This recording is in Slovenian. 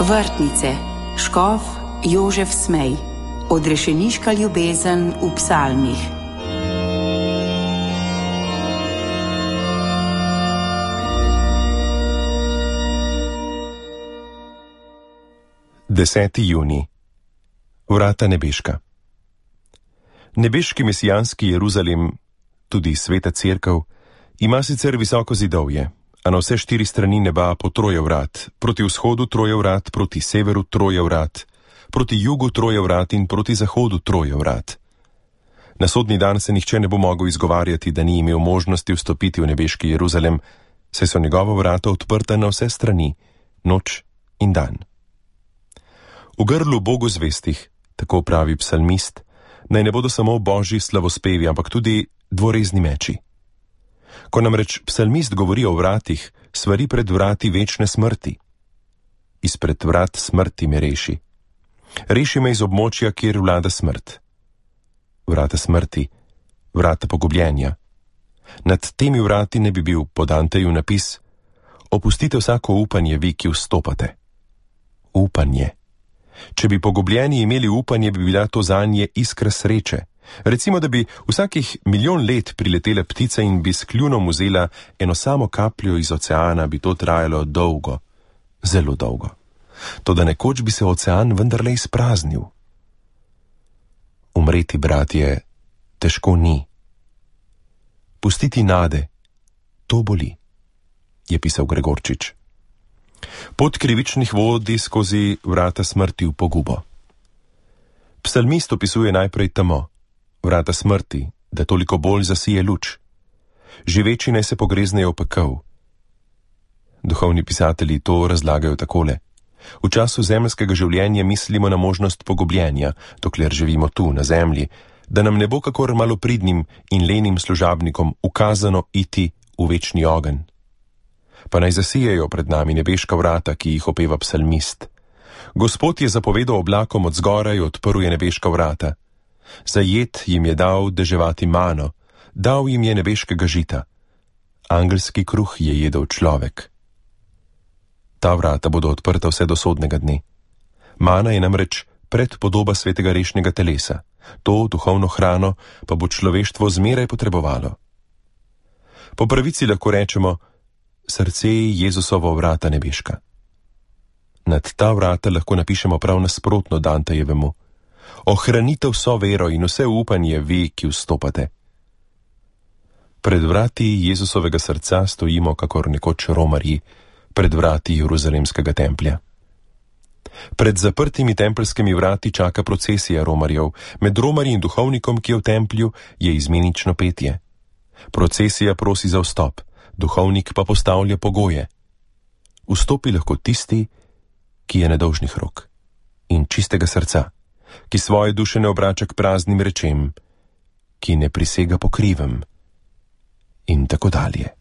Vrtnice, škof Jožef Smej, odrešeniška ljubezen v psalmih. Deseti junij. Vrata nebeška. Nebeški mesijanski Jeruzalem, tudi sveta cerkev, ima sicer visoko zidovje, a na vse 4 strani neba po 3 vrat, proti vzhodu 3 vrat, proti severu 3 vrat, proti jugu 3 vrat in proti zahodu 3 vrat. Na sodni dan se nihče ne bo mogel izgovarjati, da ni imel možnosti vstopiti v nebeški Jeruzalem, saj so njegova vrata odprta na vse strani, noč in dan. V grlu Bogu zvestih, tako pravi psalmist, naj ne bodo samo božji slavospevi, ampak tudi dvorezni meči. Ko namreč psalmist govori o vratih, svari pred vrati večne smrti. Izpred vrat smrti me reši. Reši me iz območja, kjer vlada smrt. Vrata smrti, vrata pogubljenja. Nad temi vrati ne bi bil po Danteju napis: opustite vsako upanje, vi, ki vstopate. Upanje. Če bi pogubljeni imeli upanje, bi bila to zanje iskra sreče. Recimo, da bi vsakih 1.000.000 let priletela ptica in bi s kljunom vzela eno samo kapljo iz oceana, bi to trajalo dolgo, zelo dolgo. Toda nekoč bi se ocean vendarle izpraznil. Umreti, bratje, težko ni. Pustiti nade, to boli, je pisal Gregorčič. Pot krivičnih vodi skozi vrata smrti v pogubo. Psalmist opisuje najprej temo, vrata smrti, da toliko bolj zasije luč. Živeči naj se pogreznejo v pekel. Duhovni pisatelji to razlagajo takole. V času zemeljskega življenja mislimo na možnost pogubljenja, dokler živimo tu, na zemlji, da nam ne bo kakor malopridnim in lenim služabnikom ukazano iti v večni ogenj. Pa naj zasijejo pred nami nebeška vrata, ki jih opeva psalmist. Gospod je zapovedal oblakom od zgoraj, odprl je nebeška vrata. Za jed jim je dal deževati mano, dal jim je nebeškega žita. Angelski kruh je jedel človek. Ta vrata bodo odprta vse do sodnega dne. Mana je namreč predpodoba svetega rešnega telesa. To duhovno hrano pa bo človeštvo zmeraj potrebovalo. Po pravici lahko rečemo, srce Jezusovo vrata nebeška. Nad ta vrata lahko napišemo prav nasprotno Dantejevemu: ohranite vso vero in vse upanje vi, ki vstopate. Pred vrati Jezusovega srca stojimo kakor nekoč romarji, pred vrati Jeruzalemskega templja. Pred zaprtimi tempeljskimi vrati čaka procesija romarjev, med romarji in duhovnikom, ki je v templju, je izmenično petje. Procesija prosi za vstop, duhovnik pa postavlja pogoje. Vstopi lahko tisti, ki je nedolžnih rok in čistega srca, ki svoje duše ne obrača k praznim rečem, ki ne prisega po krivem in tako dalje.